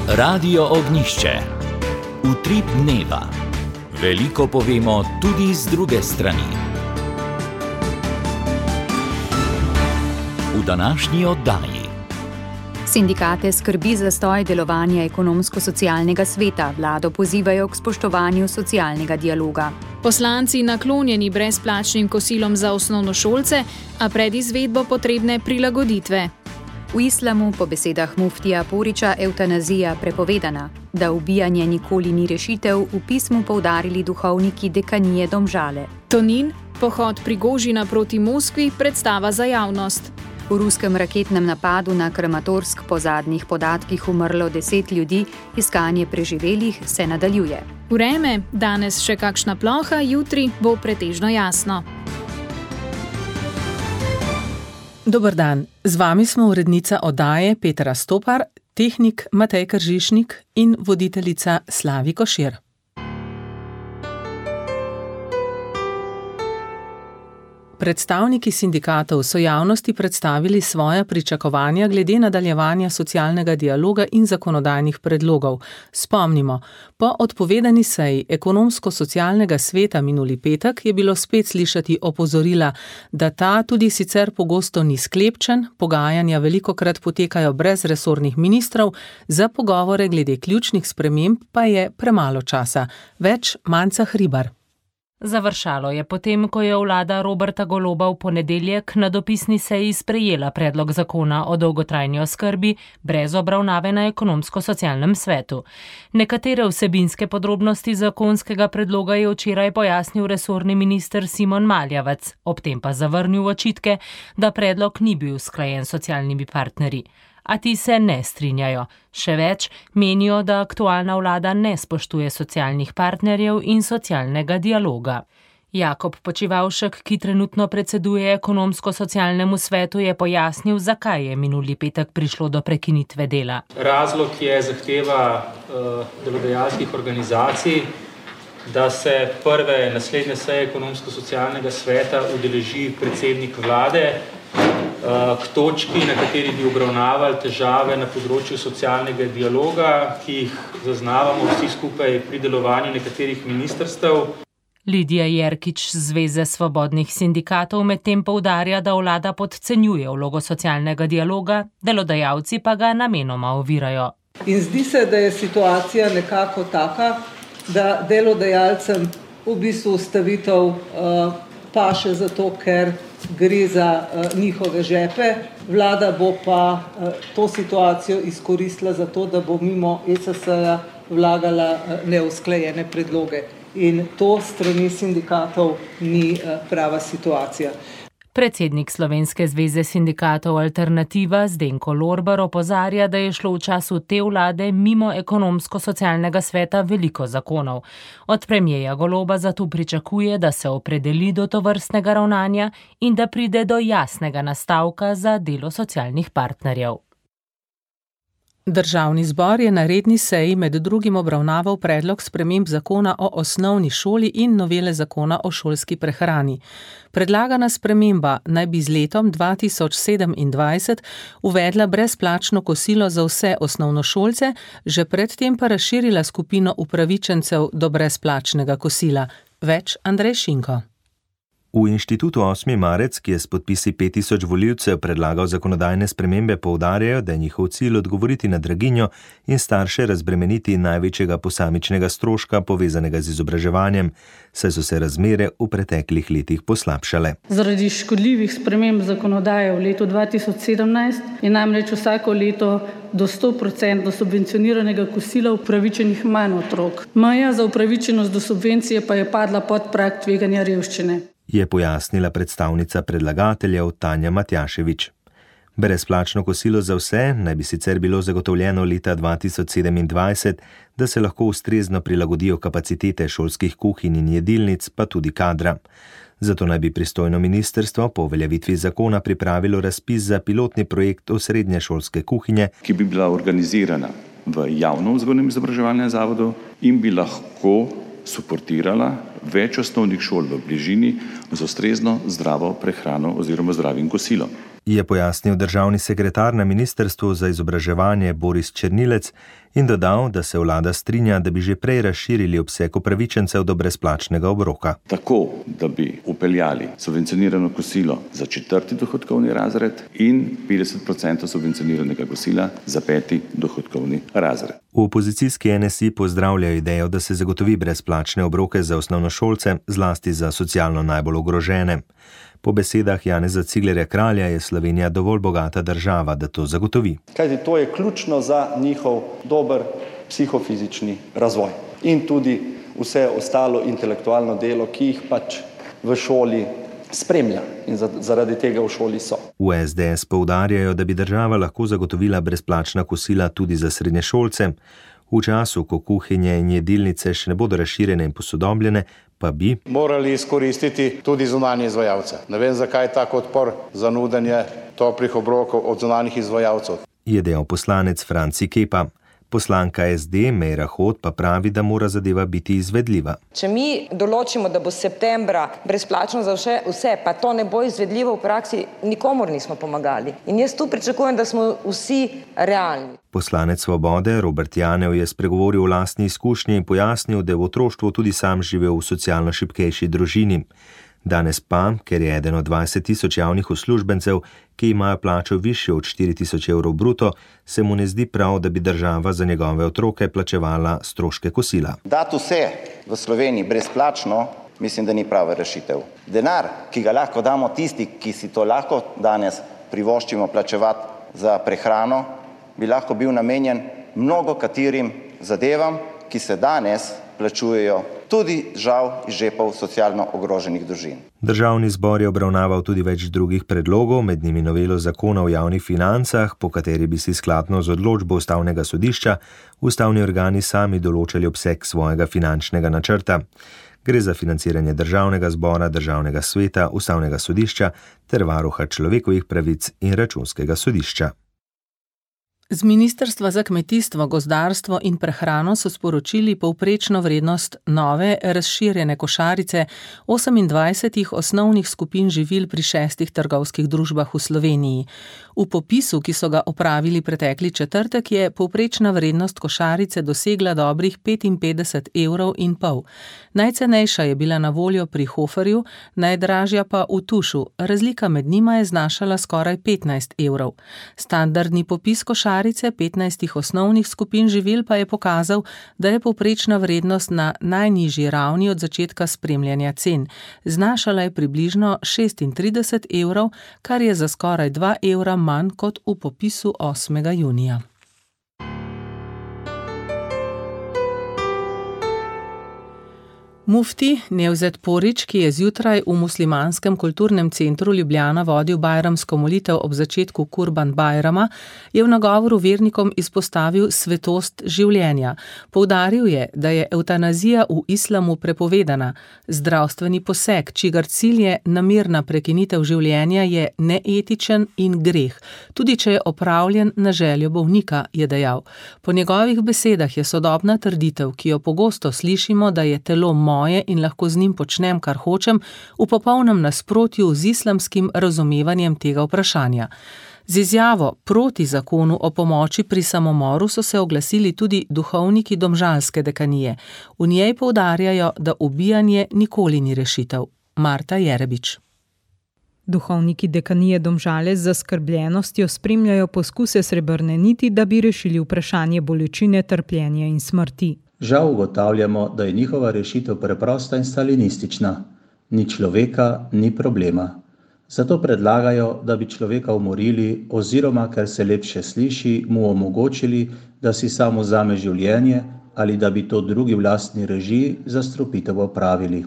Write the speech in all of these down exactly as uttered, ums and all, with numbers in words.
Radio Ognjišče. Utrip dneva. Veliko povemo tudi z druge strani. V današnji oddaji. Sindikate skrbi zastoj delovanja ekonomsko-socialnega sveta. Vlado pozivajo k spoštovanju socialnega dialoga. Poslanci naklonjeni brezplačnim kosilom za osnovnošolce, a pred izvedbo potrebne prilagoditve. V islamu po besedah muftija Poriča evtanazija prepovedana. Da ubijanje nikoli ni rešitev, v pismu poudarili duhovniki dekanije Domžale. Tonin, pohod Prigožina proti Moskvi, predstava za javnost. V ruskem raketnem napadu na Kramatorsk po zadnjih podatkih umrlo deset ljudi, iskanje preživelih se nadaljuje. Vreme, danes še kakšna ploha, jutri bo pretežno jasno. Dober dan, z vami smo urednica oddaje Petra Stopar, tehnik Matej Kržišnik in voditeljica Slavi Košir. Predstavniki sindikatov so javnosti predstavili svoja pričakovanja glede nadaljevanja socialnega dialoga in zakonodajnih predlogov. Spomnimo, po odpovedani seji ekonomsko-socialnega sveta minuli petek je bilo spet slišati opozorila, da ta tudi sicer pogosto ni sklepčen, pogajanja velikokrat potekajo brez resornih ministrov, za pogovore glede ključnih sprememb pa je premalo časa. Več Manca Hribar. Završalo je potem, ko je vlada Roberta Goloba v ponedeljek na dopisni seji sprejela predlog zakona o dolgotrajni oskrbi brez obravnave na ekonomsko-socialnem svetu. Nekatere vsebinske podrobnosti zakonskega predloga je včeraj pojasnil resorni minister Simon Maljavec, ob tem pa zavrnil očitke, da predlog ni bil usklajen s socialnimi partnerji. A ti se ne strinjajo. Še več, menijo, da aktualna vlada ne spoštuje socialnih partnerjev in socialnega dialoga. Jakob Počivavšek, ki trenutno predseduje ekonomsko-socialnemu svetu, je pojasnil, zakaj je minuli petek prišlo do prekinitve dela. Razlog je zahteva uh, delodajalskih organizacij, da se prve naslednje seje ekonomsko-socialnega sveta udeleži predsednik vlade, k točki, na kateri bi obravnavali težave na področju socialnega dialoga, ki jih zaznavamo vsi skupaj pri delovanju nekaterih ministrstev. Lidija Jerkič z Zveze svobodnih sindikatov medtem poudarja, da vlada podcenjuje vlogo socialnega dialoga, delodajalci pa ga namenoma ovirajo. In zdi se, da je situacija nekako taka, da delodajalcem v bistvu ustavitev uh, paše zato, ker gre za uh, njihove žepe. Vlada bo pa uh, to situacijo izkoristila za to, da bo mimo E S S-ja vlagala uh, neusklajene predloge. In to strani sindikatov ni uh, prava situacija. Predsednik Slovenske zveze sindikatov Alternativa Zdenko Lorber opozarja, da je šlo v času te vlade mimo ekonomsko-socialnega sveta veliko zakonov. Od premierja Goloba zato pričakuje, da se opredeli do tovrstnega ravnanja in da pride do jasnega nastavka za delo socialnih partnerjev. Državni zbor je na redni seji med drugim obravnaval predlog sprememb zakona o osnovni šoli in novele zakona o šolski prehrani. Predlagana sprememba naj bi z letom dva tisoč sedemindvajset uvedla brezplačno kosilo za vse osnovnošolce, že predtem pa razširila skupino upravičencev do brezplačnega kosila. Več Andrej Šinko. V inštitutu osmi marec, ki je s podpisi pet tisoč volivcev predlagal zakonodajne spremembe, poudarjajo, da je njihov cilj odgovoriti na draginjo in starše razbremeniti največjega posamičnega stroška povezanega z izobraževanjem, saj so se razmere v preteklih letih poslabšale. Zaradi škodljivih sprememb zakonodaje v letu dva tisoč sedemnajst je namreč vsako leto do sto procentov subvencioniranega kosila upravičenih manj otrok. Meja za upravičenost do subvencije pa je padla pod prag tveganja revščine, je pojasnila predstavnica predlagateljev Tanja Matjaševič. Brezplačno kosilo za vse naj bi sicer bilo zagotovljeno leta dva tisoč sedemindvajset, da se lahko ustrezno prilagodijo kapacitete šolskih kuhinj in jedilnic, pa tudi kadra. Zato naj bi pristojno ministrstvo po uveljavitvi zakona pripravilo razpis za pilotni projekt osrednje šolske kuhinje, ki bi bila organizirana v javnem vzgojnem izobraževalnem zavodu in bi lahko suportirala več osnovnih šol v bližini z ustrezno zdravo prehrano oziroma zdravim kosilom. je pojasnil državni sekretar na Ministrstvu za izobraževanje Boris Černilec in dodal, da se vlada strinja, da bi že prej razširili obseg upravičencev do brezplačnega obroka. Tako, da bi upeljali subvencionirano kosilo za četrti dohodkovni razred in petdeset procentov subvencioniranega kosila za peti dohodkovni razred. V opozicijski N S I pozdravljajo idejo, da se zagotovi brezplačne obroke za osnovnošolce, zlasti za socialno najbolj ogrožene. Po besedah Janeza Ciglerja Kralja je Slovenija dovolj bogata država, da to zagotovi. Kajti to je ključno za njihov dober psihofizični razvoj in tudi vse ostalo intelektualno delo, ki jih pač v šoli spremlja in zaradi tega v šoli so. V S D S poudarjajo, da bi država lahko zagotovila brezplačna kosila tudi za srednješolce. V času, ko kuhinje in jedilnice še ne bodo razširjene in posodobljene, pa bi morali izkoristiti tudi zunanje izvajalce. Ne vem, zakaj je tak odpor za nudenje toplih obrokov od zunanjih izvajalcev. Je dejal poslanec Franci Kepa. Poslanka S D Meira Hot pa pravi, da mora zadeva biti izvedljiva. Če mi določimo, da bo septembra brezplačno za vse, vse, pa to ne bo izvedljivo v praksi, nikomor nismo pomagali. In jaz tu pričakujem, da smo vsi realni. Poslanec Svobode Robert Janev je spregovoril o lastni izkušnji in pojasnil, da je v otroštvu tudi sam živel v socialno šibkejši družini. Danes pa, ker je eden od dvajset tisoč javnih uslužbencev, ki imajo plačo višjo od štiri tisoč evrov bruto, se mu ne zdi prav, da bi država za njegove otroke plačevala stroške kosila. Dati vse v Sloveniji brezplačno, mislim, da ni prava rešitev. Denar, ki ga lahko damo tisti, ki si to lahko danes privoščimo plačevati za prehrano, bi lahko bil namenjen mnogo katerim zadevam, ki se danes plačujejo tudi žal iz žepov socialno ogroženih družin. Državni zbor je obravnaval tudi več drugih predlogov, med njimi novelo zakona o javnih financah, po kateri bi si skladno z odločbo Ustavnega sodišča ustavni organi sami določali obseg svojega finančnega načrta. Gre za financiranje državnega zbora, državnega sveta, Ustavnega sodišča ter varuha človekovih pravic in računskega sodišča. Z Ministrstva za kmetijstvo, gozdarstvo in prehrano so sporočili povprečno vrednost nove razširjene košarice osemindvajsetih osnovnih skupin živil pri šestih trgovskih družbah v Sloveniji. V popisu, ki so ga opravili pretekli četrtek, je povprečna vrednost košarice dosegla dobrih petinpetdeset evrov in pol. Najcenejša je bila na voljo pri Hoferju, najdražja pa v Tušu. Razlika med njima je znašala skoraj petnajst evrov. Standardni popis košarice petnajstih osnovnih skupin živil pa je pokazal, da je povprečna vrednost na najnižji ravni od začetka spremljanja cen. Znašala je približno šestintrideset evrov, kar je za skoraj dva evra manj kot v popisu osmega junija. Mufti Nevzet Porić, ki je zjutraj v muslimanskem kulturnem centru Ljubljana vodil bajramsko molitev ob začetku Kurban Bajrama, je v nagovoru vernikom izpostavil svetost življenja. Poudaril je, da je evtanazija v islamu prepovedana. Zdravstveni poseg, čigar cilj je namerna prekinitev življenja, je neetičen in greh, tudi če je opravljen na željo bolnika, je dejal. Po njegovih besedah je sodobna trditev, ki jo pogosto slišimo, da je telo moje in lahko z njim počnem, kar hočem, v popolnem nasprotju z islamskim razumevanjem tega vprašanja. Z izjavo proti zakonu o pomoči pri samomoru so se oglasili tudi duhovniki domžalske dekanije. V njej poudarjajo, da ubijanje nikoli ni rešitev. Marta Jerebič. Duhovniki dekanije Domžale z zaskrbljenostjo spremljajo poskuse srebrne niti, da bi rešili vprašanje bolečine, trpljenja in smrti. Žal ugotavljamo, da je njihova rešitev preprosta in stalinistična. Ni človeka, ni problema. Zato predlagajo, da bi človeka umorili oziroma, ker se lepše sliši, mu omogočili, da si sam vzame življenje ali da bi to drugi v lastni režiji za strupitev opravili.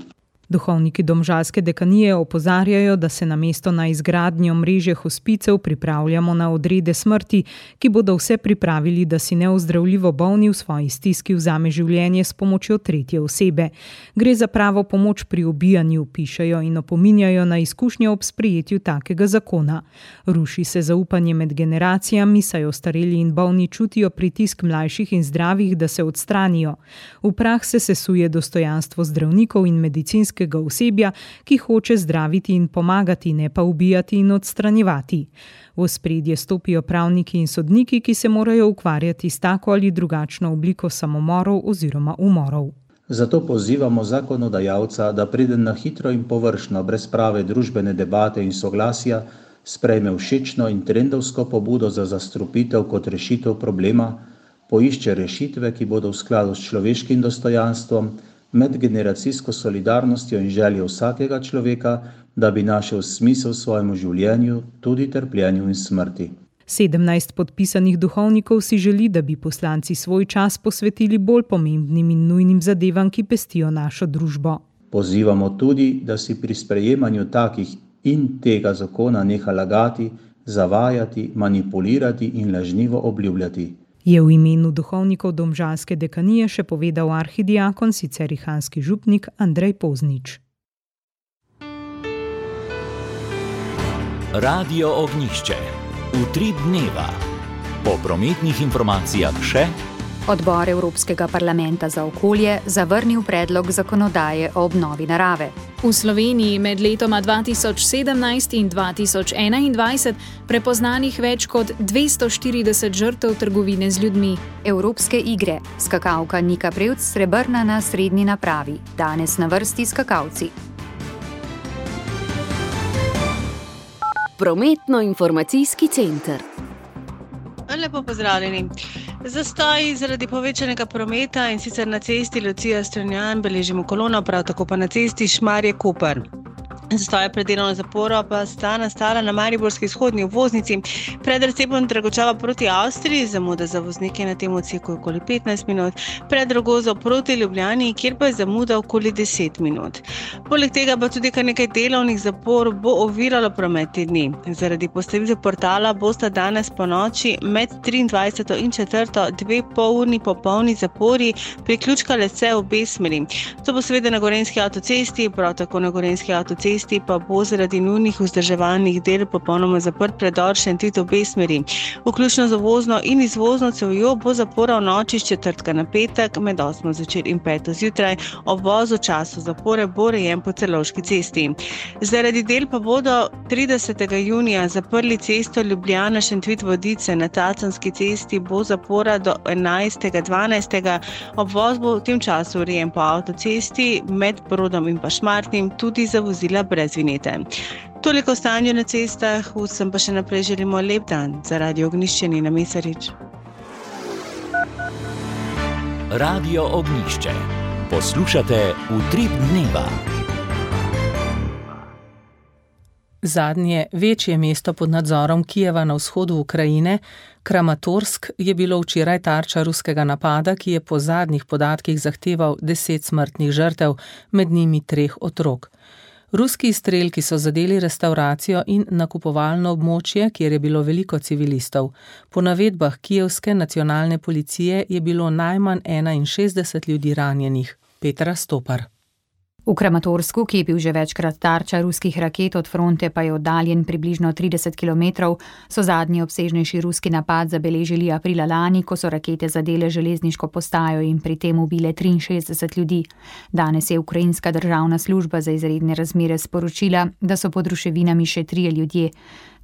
Duhovniki domžalske dekanije opozarjajo, da se namesto na izgradnjo mreže hospicev pripravljamo na odrede smrti, ki bodo vse pripravili, da si neozdravljivo bolni v svoji stiski vzame življenje s pomočjo tretje osebe. Gre za pravo pomoč pri ubijanju, pišejo in opominjajo na izkušnje ob sprejetju takega zakona. Ruši se zaupanje med generacijami, saj ostareli in bolni čutijo pritisk mlajših in zdravih, da se odstranijo. V prah se sesuje dostojanstvo zdravnikov in medicinskih policijskega osebja, ki hoče zdraviti in pomagati, ne pa ubijati in odstranjevati. V ospredje stopijo pravniki in sodniki, ki se morajo ukvarjati s tako ali drugačno obliko samomorov oziroma umorov. Zato pozivamo zakonodajalca, da pride na hitro in površno, brez prave družbene debate in soglasja, sprejme všečno in trendovsko pobudo za zastrupitev kot rešitev problema, poišče rešitve, ki bodo v skladu s človeškim dostojanstvom, medgeneracijsko solidarnostjo in željo vsakega človeka, da bi našel smisel svojemu življenju, tudi trpljenju in smrti. sedemnajst podpisanih duhovnikov si želi, da bi poslanci svoj čas posvetili bolj pomembnim in nujnim zadevam, ki pestijo našo družbo. Pozivamo tudi, da si pri sprejemanju takih in tega zakona neha lagati, zavajati, manipulirati in lažnivo obljubljati. Je v imenu duhovnikov domžalske dekanije še povedal arhidiakon, sicer rihanski župnik Andrej Poznič. Radio Ognjišče. Utrip dneva. Po prometnih informacijah še. Odbor Evropskega parlamenta za okolje zavrnil predlog zakonodaje o obnovi narave. V Sloveniji med letoma dva tisoč sedemnajst in dva tisoč enaindvajset prepoznanih več kot dvesto štirideset žrtev trgovine z ljudmi. Evropske igre. Skakalka Nika Prevc srebrna na srednji napravi. Danes na vrsti skakalci. Prometno-informacijski center. Lepo pozdravljeni. Zastoj zaradi povečanega prometa in sicer na cesti Lucija-Strunjan beležimo kolono, prav tako pa na cesti Šmarje-Koper. Zastoje pred delovno zaporo pa sta nastala na mariborski vzhodni obvoznici. Pred Recepom Dragočava proti Avstriji, zamuda za voznike na tem odseku okoli petnajst minut, pred Rogozo proti Ljubljani, kjer pa je zamuda okoli deset minut. Poleg tega pa tudi kar nekaj delovnih zapor bo oviralo promet te dni. Zaradi postavitve portala bosta danes po noči med triindvajseto in četrto dve polurni popolni zapori priključkale se v obe smeri. To bo seveda na Gorenjski avtocesti, prav tako na Gorenjski avtocesti pa bo zaradi nujnih vzdrževalnih del popolnoma zaprt predor Šentvid v obe smeri. Vključno z uvozno in izvozno cevjo bo zapora v noči s četrtka na petek med osmo zvečer in peto zjutraj. Obvoz v času zapore bo urejen po Celovški cesti. Zaradi del pa bodo tridesetega junija zaprli cesto Ljubljana-Šentvid-Vodice. Na Tacanski cesti bo zapora do enajstega dvanajstega. Obvoz bo v tem času urejen po avtocesti med Brodom in pa Šmartnim, tudi za vozila brez vinjete. Toliko o stanju na cestah, vsem pa še naprej želimo lep dan. Za Radio Ognjišče Nina Mesarič. Radio Ognjišče. Poslušate Utrip dneva. Zadnje večje mesto pod nadzorom Kijeva na vzhodu Ukrajine, Kramatorsk, je bilo včeraj tarča ruskega napada, ki je po zadnjih podatkih zahteval deset smrtnih žrtev, med njimi treh otrok. Ruski izstrelki so zadeli restavracijo in nakupovalno območje, kjer je bilo veliko civilistov. Po navedbah kijevske nacionalne policije je bilo najmanj enainšestdeset ljudi ranjenih. Petra Stopar. V Kramatorsku, ki je bil že večkrat tarča ruskih raket, od fronte pa je oddaljen približno trideset kilometrov, so zadnji obsežnejši ruski napad zabeležili aprila lani, ko so rakete zadele železniško postajo in pri tem ubile triinšestdeset ljudi. Danes je ukrajinska državna služba za izredne razmere sporočila, da so pod ruševinami še trije ljudje.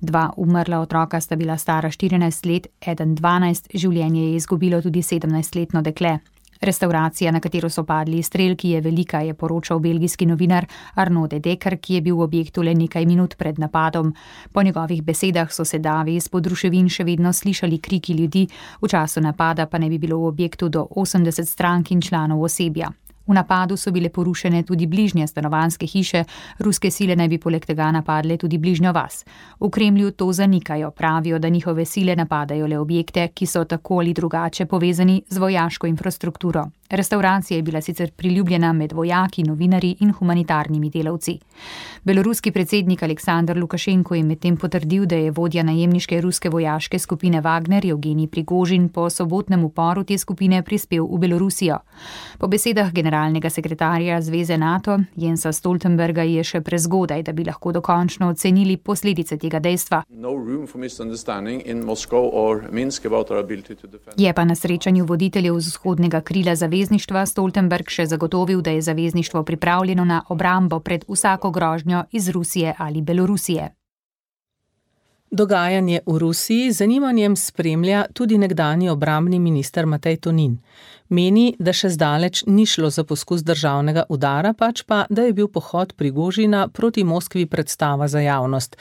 Dva umrla otroka sta bila stara štirinajst let, eden dvanajst, življenje je izgubilo tudi sedemnajstletno dekle. Restavracija, na katero so padli izstrelki, je velika, je poročal belgijski novinar Arnaud de Decker, ki je bil v objektu le nekaj minut pred napadom. Po njegovih besedah so se davi izpod ruševin še vedno slišali kriki ljudi, v času napada pa ne bi bilo v objektu do osemdeset strank in članov osebja. V napadu so bile porušene tudi bližnje stanovanjske hiše, ruske sile naj bi poleg tega napadle tudi bližnjo vas. V Kremlju to zanikajo, pravijo, da njihove sile napadajo le objekte, ki so tako ali drugače povezani z vojaško infrastrukturo. Restavracija je bila sicer priljubljena med vojaki, novinarji in humanitarnimi delavci. Beloruski predsednik Aleksandar Lukašenko je medtem potrdil, da je vodja najemniške ruske vojaške skupine Wagner Evgenij Prigožin po sobotnem uporu te skupine prispel v Belorusijo. Po besedah generala generalnega sekretarja Zveze NATO Jensa Stoltenberga je še prezgodaj, da bi lahko dokončno ocenili posledice tega dejstva. Je pa na srečanju voditeljev vzhodnega krila zavezništva Stoltenberg še zagotovil, da je zavezništvo pripravljeno na obrambo pred vsako grožnjo iz Rusije ali Belorusije. Dogajanje v Rusiji z zanimanjem spremlja tudi nekdanji obrambni minister Matej Tonin. Meni, da še zdaleč ni šlo za poskus državnega udara, pač pa, da je bil pohod Prigožina proti Moskvi predstava za javnost.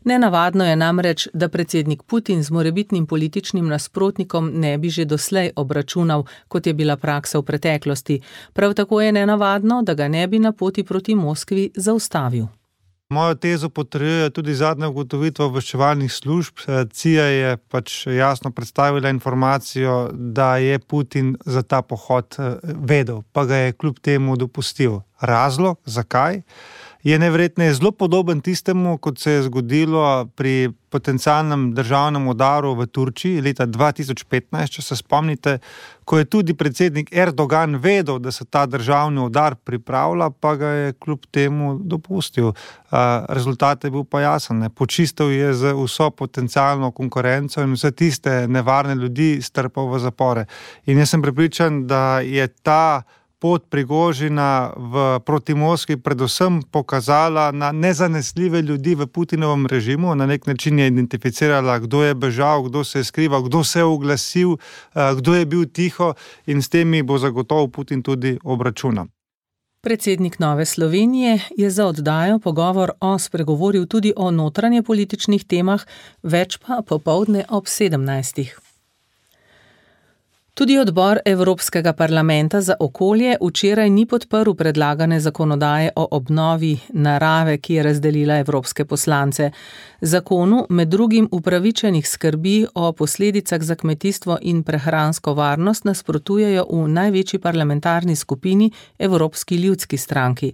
Nenavadno je namreč, da predsednik Putin z morebitnim političnim nasprotnikom ne bi že doslej obračunal, kot je bila praksa v preteklosti. Prav tako je nenavadno, da ga ne bi na poti proti Moskvi zaustavil. Mojo tezo potrjuje tudi zadnja ugotovitva obveščevalnih služb. C I A je pač jasno predstavila informacijo, da je Putin za ta pohod vedel, pa ga je kljub temu dopustil. Razlog, zakaj, je neverjetno zelo podoben tistemu, kot se je zgodilo pri potencialnem državnem udaru v Turčiji leta dva tisoč petnajst, če se spomnite, ko je tudi predsednik Erdogan vedel, da se ta državni udar pripravlja, pa ga je kljub temu dopustil. Rezultat je bil pa jasen. Počistil je z vso potencialno konkurenco in vse tiste nevarne ljudi strpal v zapore. In jaz sem prepričan, da je ta pot Prigožina v, proti Moskvi predvsem pokazala na nezanesljive ljudi v Putinovem režimu. Na nek način je identificirala, kdo je bežal, kdo se je skrival, kdo se je oglasil, kdo je bil tiho in s temi bo zagotovo Putin tudi obračunal. Predsednik Nove Slovenije je za oddajo Pogovor o spregovoril tudi o notranje političnih temah, več pa popoldne ob sedemnajstih. Tudi odbor Evropskega parlamenta za okolje včeraj ni podprl predlagane zakonodaje o obnovi narave, ki je razdelila evropske poslance. Zakonu med drugim upravičenih skrbi o posledicah za kmetijstvo in prehransko varnost nasprotujejo v največji parlamentarni skupini Evropski ljudski stranki.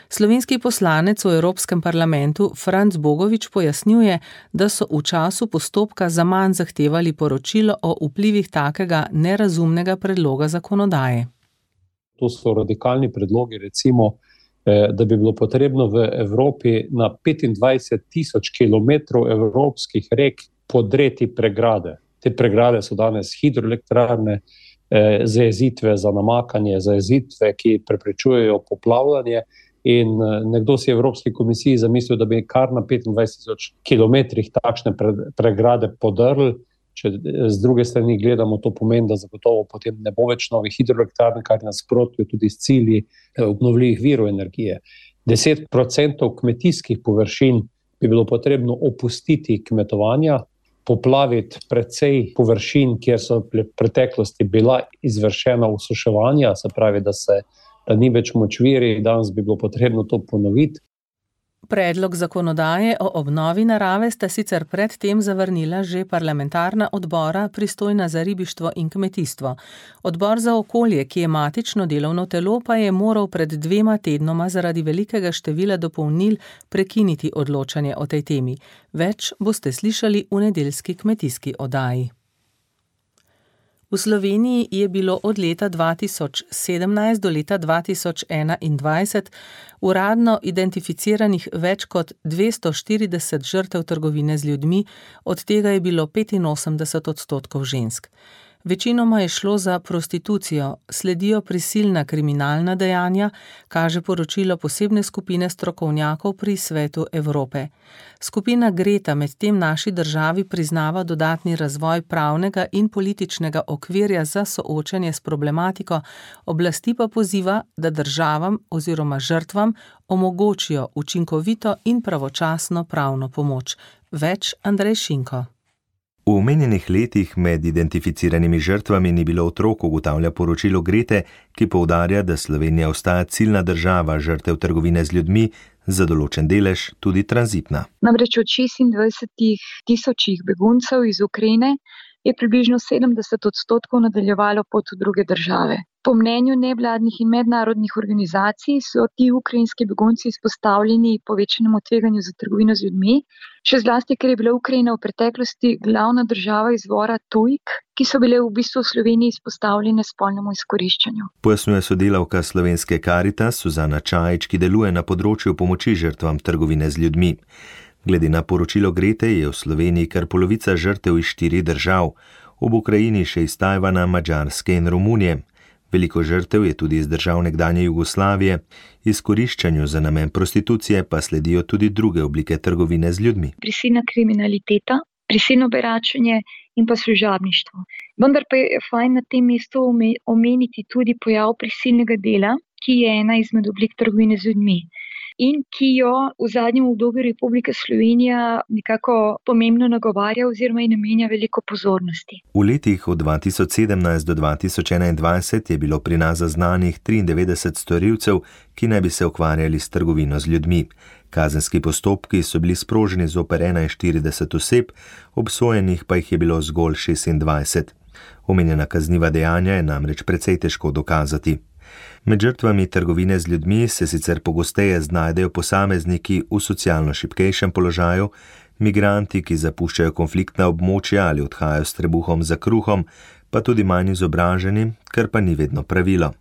Slovenski poslanec v Evropskem parlamentu Franc Bogovič pojasnjuje, da so v času postopka zaman zahtevali poročilo o vplivih takega nerazumnega predloga zakonodaje. To so radikalni predlogi, recimo, da bi bilo potrebno v Evropi na petindvajset tisoč kilometrov evropskih rek podreti pregrade. Te pregrade so danes hidroelektrarne, zajezitve za namakanje, zajezitve, ki preprečujejo poplavljanje. In nekdo si v Evropski komisiji zamislil, da bi kar na petindvajset tisoč kilometrih takšne pregrade podrli. Če z druge strani gledamo, to pomeni, da zagotovo potem ne bo več novih hidroelektrarn, kar nasprotuje tudi s cilji obnovljivih virov energije. deset procentov kmetijskih površin bi bilo potrebno opustiti kmetovanja, poplaviti precej površin, kjer so v preteklosti bila izvršena osuševanja, se pravi, da se da ni več močviri, danes bi bilo potrebno to ponoviti. Predlog zakonodaje o obnovi narave sta sicer predtem zavrnila že parlamentarna odbora, pristojna za ribištvo in kmetijstvo. Odbor za okolje, ki je matično delovno telo, pa je moral pred dvema tednoma zaradi velikega števila dopolnil prekiniti odločanje o tej temi. Več boste slišali v nedeljski kmetijski oddaji. V Sloveniji je bilo od leta dva tisoč sedemnajst do leta dva tisoč enaindvajset uradno identificiranih več kot dvesto štirideset žrtev trgovine z ljudmi, od tega je bilo petinosemdeset odstotkov žensk. Večinoma je šlo za prostitucijo, sledijo prisilna kriminalna dejanja, kaže poročilo posebne skupine strokovnjakov pri Svetu Evrope. Skupina Greta medtem naši državi priznava dodatni razvoj pravnega in političnega okvirja za soočanje s problematiko, oblasti pa poziva, da državam oziroma žrtvam omogočijo učinkovito in pravočasno pravno pomoč. Več Andrej Šinko. V omenjenih letih med identificiranimi žrtvami ni bilo otrok, ugotavlja poročilo Grete, ki poudarja, da Slovenija ostaja ciljna država žrtev trgovine z ljudmi, za določen delež tudi tranzitna. Namreč od šestindvajset tisočih beguncev iz Ukrajine je približno sedemdeset odstotkov nadaljevalo pot v druge države. Po mnenju nevladnih in mednarodnih organizacij so ti ukrajinski begunci izpostavljeni povečanemu tveganju za trgovino z ljudmi, še zlasti, ker je bila Ukrajina v preteklosti glavna država izvora tujk, ki so bile v bistvu v Sloveniji izpostavljene spolnemu izkoriščanju. Pojasnjuje sodelavka slovenske Karitas Suzana Čajič, ki deluje na področju pomoči žrtvam trgovine z ljudmi. Glede na poročilo Grete je v Sloveniji kar polovica žrtev iz štirih držav, ob Ukrajini še iz Tajvana, Madžarske in Romunije. Veliko žrtev je tudi iz držav nekdanje Jugoslavije, izkoriščanju za namen prostitucije pa sledijo tudi druge oblike trgovine z ljudmi. Prisilna kriminaliteta, prisilno beračenje in pa služabništvo. Vendar pa je fajn na tem mestu omeniti tudi pojav prisilnega dela, ki je ena izmed oblik trgovine z ljudmi in ki jo v zadnjem obdobju Republika Slovenija nekako pomembno nagovarja oziroma ji namenja veliko pozornosti. V letih od dva tisoč sedemnajst do dva tisoč enaindvajset je bilo pri nas zaznanih triindevetdeset storilcev, ki naj bi se ukvarjali s trgovino z ljudmi. Kazenski postopki so bili sproženi zoper enainštirideset oseb, obsojenih pa jih je bilo zgolj šestindvajset. Omenjena kazniva dejanja je namreč precej težko dokazati. Med žrtvami trgovine z ljudmi se sicer pogosteje znajdejo posamezniki v socialno šibkejšem položaju, migranti, ki zapuščajo konfliktna območja ali odhajajo s trebuhom za kruhom, pa tudi manj izobraženi, kar pa ni vedno pravilo.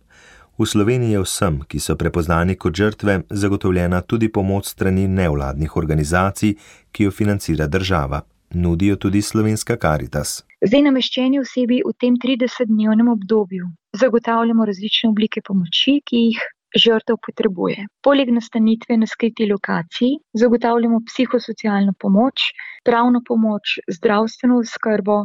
V Sloveniji je vsem, ki so prepoznani kot žrtve, zagotovljena tudi pomoč strani nevladnih organizacij, ki jo financira država. Nudijo tudi slovenska Karitas. Zdaj nameščeni osebi v tem tridesetdnevnem obdobju zagotavljamo različne oblike pomoči, ki jih žrtev potrebuje. Poleg nastanitve na skriti lokaciji zagotavljamo psihosocialno pomoč, pravno pomoč, zdravstveno oskrbo,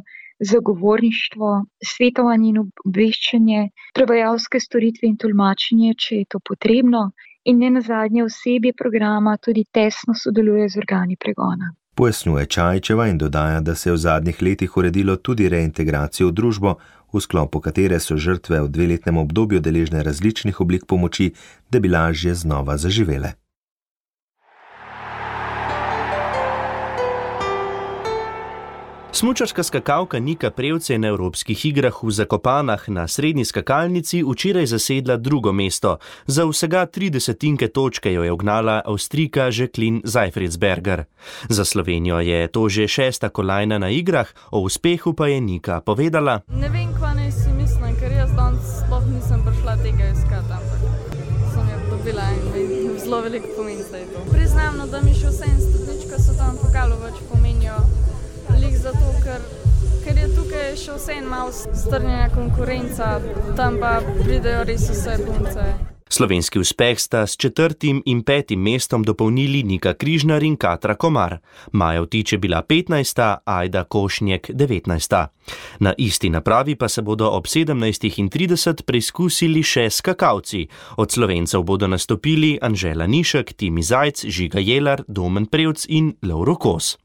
zagovorništvo, svetovanje in obveščanje, prevajalske storitve in tolmačenje, če je to potrebno, in nenazadnje osebje programa tudi tesno sodeluje z organi pregona. Pojasnjuje Čajčeva in dodaja, da se je v zadnjih letih uredilo tudi reintegracijo v družbo, v sklopu katere so žrtve v dveletnem obdobju deležne različnih oblik pomoči, da bi lažje znova zaživele. Smučarska skakalka Nika Prevc je na evropskih igrah v Zakopanah na srednji skakalnici včeraj zasedla drugo mesto. Za vsega tri desetinke točke jo je ugnala Avstrijka Jacqueline Zeifridsberger. Za Slovenijo je to že šesta kolajna na igrah, o uspehu pa je Nika povedala: Ne vem, kva naj si mislim, ker jaz danes sploh nisem prišla tega iskati, ampak sem jo dobila in zelo veliko pomeni zdaj to. Priznam, da mi še vse in stopnička so tam pokalo več pomenijo. Lik zato, ker, ker je tukaj še vse en malo strnjena konkurenca, tam pa pridejo res vse punce. Slovenski uspeh sta s četrtim in petim mestom dopolnili Nika Križnar in Katra Komar. Maja Vtič je bila petnajsta, Ajda Košnjek devetnajsta. Na isti napravi pa se bodo ob sedemnajstih trideset preizkusili še skakalci. Od Slovencev bodo nastopili Anžela Nišek, Timi Zajc, Žiga Jelar, Domen Prevc in Lovro Kos.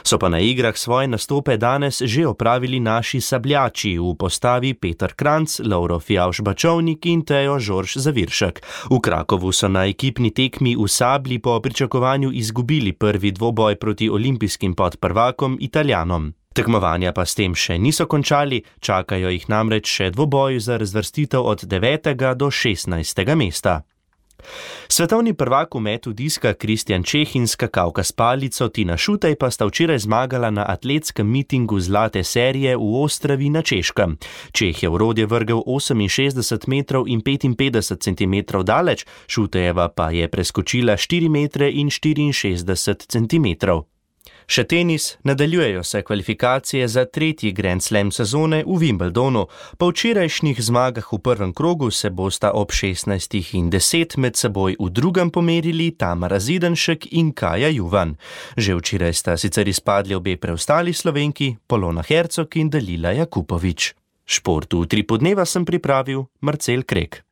So pa na igrah svoje nastope danes že opravili naši sabljači v postavi Peter Kranc, Lovro Fijavž-Bačovnik in Tejo Žorž Zaviršek. V Krakovu so na ekipni tekmi v sablji po pričakovanju izgubili prvi dvoboj proti olimpijskim podprvakom Italijanom. Tekmovanja pa s tem še niso končali, čakajo jih namreč še dvoboj za razvrstitev od devetega do šestnajstega mesta. Svetovni prvak v metu diska Kristjan Čeh in skakalka s palico Tina Šutej pa sta včeraj zmagala na atletskem mitingu zlate serije v Ostravi na Češkem. Čeh je v rodje vrgel oseminšestdeset metrov in petinpetdeset centimetrov daleč, Šutejeva pa je preskočila štiri metre in štiriinšestdeset centimetrov. Še tenis, nadaljujejo se kvalifikacije za tretji Grand Slam sezone v Wimbledonu. Po včerajšnjih zmagah v prvem krogu se bosta ob šestnajstih in deset med seboj v drugem pomerili Tamara Zidanšek in Kaja Juvan. Že včeraj sta sicer izpadli obe preostali Slovenki, Polona Hercog in Dalila Jakupovič. Šport v tri podneva sem pripravil Marcel Krek.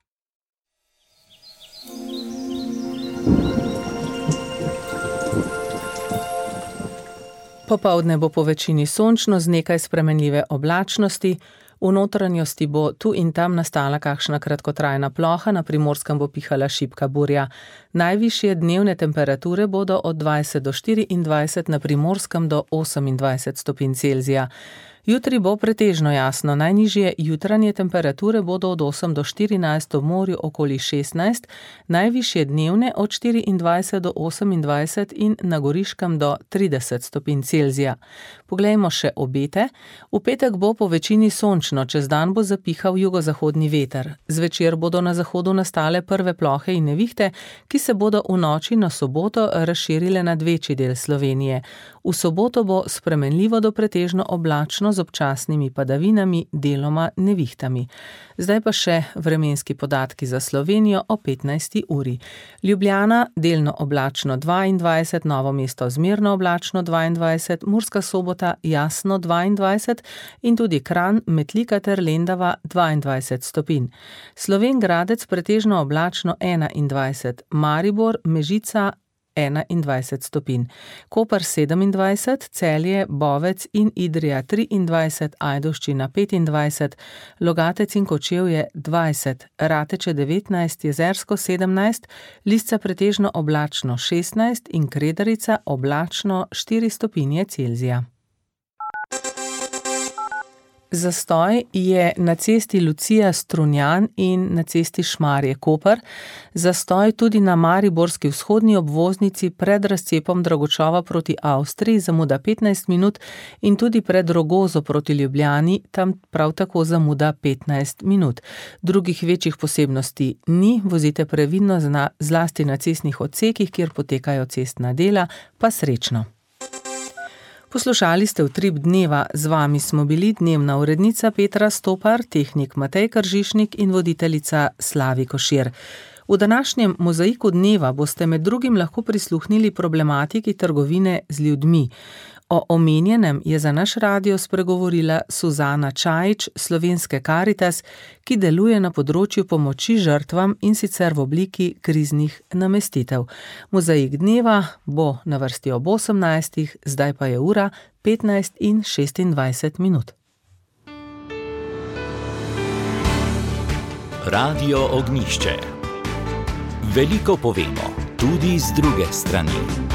Popoldne bo po večini sončno z nekaj spremenljive oblačnosti, v notranjosti bo tu in tam nastala kakšna kratkotrajna ploha, na Primorskem bo pihala šibka burja. Najvišje dnevne temperature bodo od dvajset do štiriindvajset, na Primorskem do osemindvajset stopinj Celzija. Jutri bo pretežno jasno, najnižje jutranje temperature bodo od osem do štirinajst, v morju okoli šestnajst, najvišje dnevne od štiriindvajset do osemindvajset in na Goriškem do trideset stopinj Celzija. Poglejmo še obete. V petek bo po večini sončno, čez dan bo zapihal jugozahodni veter. Zvečer bodo na zahodu nastale prve plohe in nevihte, ki se bodo v noči na soboto razširile nad večji del Slovenije. V soboto bo spremenljivo do pretežno oblačno z občasnimi padavinami, deloma nevihtami. Zdaj pa še vremenski podatki za Slovenijo o petnajsti uri. Ljubljana delno oblačno dvaindvajset, Novo mesto zmerno oblačno dvaindvajset, Murska Sobota jasno dvaindvajset in tudi Kranj, Metlika ter Lendava dvaindvajset stopinj. Slovenj Gradec pretežno oblačno enaindvajset, Maribor, Mežica enaindvajset stopinj, Koper sedemindvajset, Celje, Bovec in Idrija triindvajset, Ajdovščina petindvajset, Logatec in Kočevje dvajset, Rateče devetnajst, Jezersko sedemnajst, Lisca pretežno oblačno šestnajst in Kredarica oblačno štiri stopinje Celzija. Zastoj je na cesti Lucija-Strunjan in na cesti Šmarje-Koper, zastoj tudi na mariborski vzhodni obvoznici pred razcepom Dragočova proti Avstriji, zamuda petnajst minut in tudi pred Rogozo proti Ljubljani, tam prav tako zamuda petnajst minut. Drugih večjih posebnosti ni, vozite previdno zlasti na cestnih odsekih, kjer potekajo cestna dela, pa srečno. Poslušali ste Utrip dneva, z vami smo bili dnevna urednica Petra Stopar, tehnik Matej Kržišnik in voditeljica Slavi Košir. V današnjem mozaiku dneva boste med drugim lahko prisluhnili problematiki trgovine z ljudmi. O omenjenem je za naš radio spregovorila Suzana Čajič, Slovenske Karitas, ki deluje na področju pomoči žrtvam in sicer v obliki kriznih namestitev. Mozaik dneva bo na vrsti ob osemnajstih, zdaj pa je ura petnajst in šestindvajset minut. Radio Ognjišče. Veliko povemo, tudi z druge strani.